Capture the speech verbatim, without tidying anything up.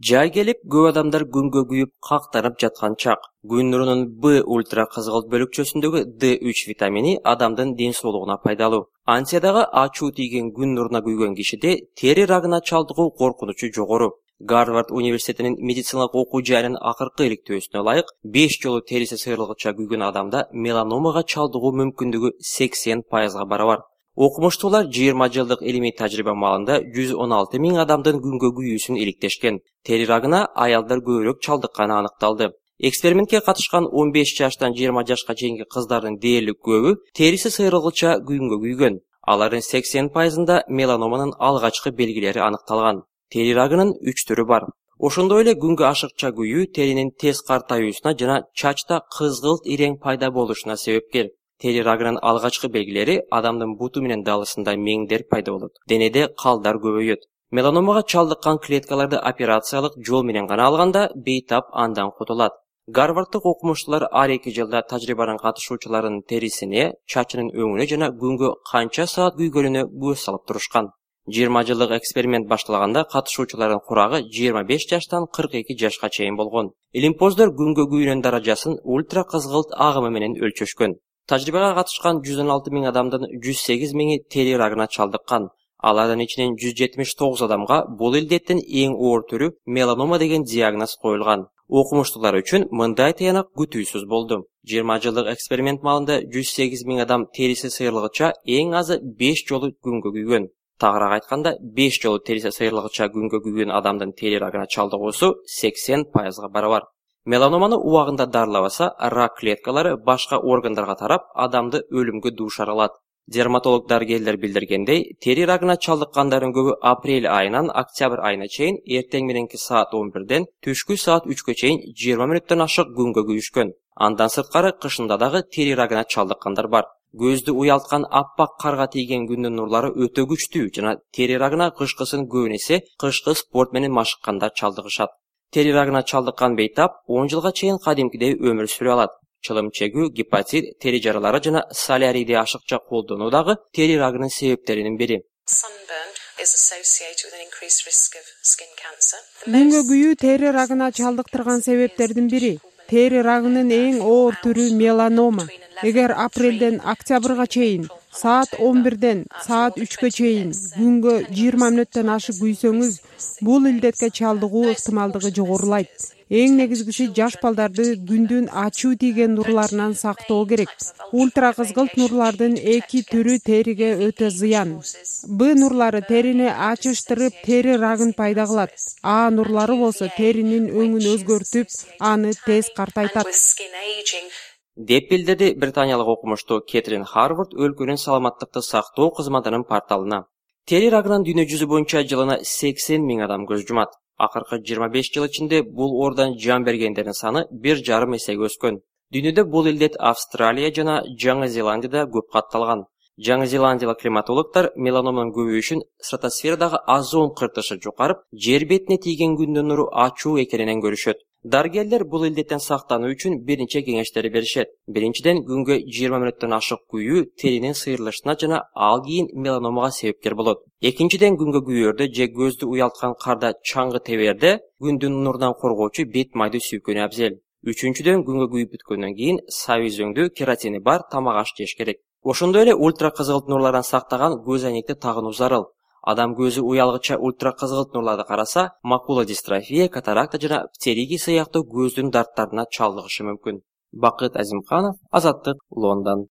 Жай келип, көп адамдар күнгө күйүп кактанып жаткан чак. Күн нурунун Б ультра кызгылт бөлүкчөсүндөгү Д үч витамини адамдын ден соолугуна пайдалуу. Антиядагы ачуу тийген күн нуруна күйгөн кишиде тери рагына чалдыгуу коркунучу жогору. Гарвард университетинин медициналык окуу жайынын акыркы иликтөөсүнө ылайык, беш жолу териси сыйрылгыча күйгөн адамда меланомага чалдыгуу мүмкүндүгү сексен пайызга барабар. Окумуштуулар жыйырма жылдык илимий тажрыйба маалында жүз он алты миң адамдын күнгө күйүүсүн иликтешкен. Тери рагына аялдар көбүрөөк чалдыкканы аныкталды. Экспериментке катышкан он беш жаштан жыйырма жашка чейинки кыздардын дээрлик көбү териси сыйрылгыча күнгө күйгөн. Алардын сексен пайызында меланоманын алгачкы белгилери аныкталган. Тери рагынын үч түрү бар. Ошондой эле күнгө ашыкча күйүү теринин тез картаюусуна жана чачта кызгылт ирең пайда болушуна себепкер. Тери рагынын алгачкы белгилери адамдын буту менен далысында меңдер пайда болот. Денеде калдар көбөйөт. Меланомага чалдыккан клеткаларды операциялык жол менен гана алганда бейтап андан кутулат. Гарварддык окумуштуулар ар эки жылда тажрыйбанын катышуучуларынын терисине, чачынын өңүнө жана күнгө канча саат күйгөнүнө көз салып турушкан. жыйырма жылдык эксперимент башталганда катышуучулардын курагы жыйырма беш жаштан кырк эки жашка чейин болгон. Илимпоздор күнгө күйүүнүн даражасын ультра кызгылт агымы менен өлчөшкөн. Тажрыйбага катышкан жүз он алты миң адамдын жүз сегиз миңи тери рагына чалдыккан. Алардын ичинен жүз жетимиш тогуз адамга бул илдеттин эң оор түрү меланома деген диагноз коюлган. Окумуштуулар үчүн мындай тыянак күтүүсүз болду. жыйырма жылдык эксперимент маалында жүз сегиз миң адам териси сыйрылгыча эң азы беш жолу күнгө күйгөн. Тагыраак айтканда, беш жолу териси сыйрылгыча күнгө күйгөн адамдын тери рагына чалдыгуусу сексен пайызга барабар. Меланоманы убагында дарылабаса, рак клеткалары башка органдарга тарап, адамды өлүмгө дуушар кылат. Дерматолог дарыгерлер билдиргендей, тери рагына чалдыккандардын көбү апрель айынан октябрь айына чейин эртең мененки саат он бирден түшкү саат үчкө чейин жыйырма мүнөттөн ашык күнгө күйүшкөн. Андан сырткары кышында дагы тери рагына чалдыккандар бар. Көздү уялткан аппак карга тийген күндүн нурлары өтө күчтүү жана тери рагына кышкысын көбүн эсе кышкы спорт менен машыккандар чалдыгышат. Тери рагына чалдыккан бейтап он жылга чейин кадимкидей өмүр сүрө алат. Чылым чегүү, гепатит, тери жаралары жана солярийди ашыкча колдонуу дагы тери рагынын себептеринин бири. Күнгө күйүү тери рагына чалдыктырган себептердин бири. Тери рагынын эң оор түрү меланома. Эгер апрелден октябрга чейин саат он бирден саат үчкө чейин күнгө жыйырма мүнөттөн ашык күйсөңүз, бул илдетке чалдыгуу ыктымалдыгы жогорулайт. Эң негизгиси жаш балдарды күндүн ачуу тийген нурларынан сактоо керек. Ультра кызгылт нурлардын эки түрү териге өтө зыян. Б нурлары терини ачыштырып, тери рагын пайда кылат. А нурлары болсо теринин өңүн өзгөртүп, аны тез картайтат. Деп билдирди британиялык окумуштуу Кетрин Харвард өлкөнүн саламаттыкты сактоо кызматынын порталына. Тери рагынан дүйнө жүзү боюнча жылына сексен миң адам көз жумат. Акыркы жыйырма беш жыл ичинде бул оордан жан бергендердин саны бир жарым эсеге өскөн. Дүйнөдө бул илдет Австралия жана Жаңы Зеландияда көп катталган. Жаңы Зеландиялык климатологдор меланоманын көбөйүшүн стратосферадагы озон кыртышы жукарып, жер бетине тийген күндүн нуру ачуу экенинен көрүшөт. Дарыгерлер бул илдеттен сактануу үчүн бир нече кеңештер беришет. Биринчиден, күнгө жыйырма мүнөттөн ашык күйүү теринин сыйрылышына жана ал кийин меланомага себепкер болот. Экинчиден, күнгө күйөөрдө же көздү уялткан карда чаңгы теберде күндүн нурунан коргоочу бет майды сүйкөнү абзел. Үчүнчүдөн, күнгө күйүп бүткөндөн кийин сабый үзөңдүү кератини бар тамак аш жеш керек. Ошондой эле ультра кызгылт нурлардан сактаган көз айнекти тагынуу зарыл. Адам көзү уялгыча ультра кызгылт нурларды караса, макула дистрофия, катаракта жана птериги сыяктуу көздүн дарттарына чалдыгышы мүмкүн. Бакыт Азимканов, Азаттык, Лондон.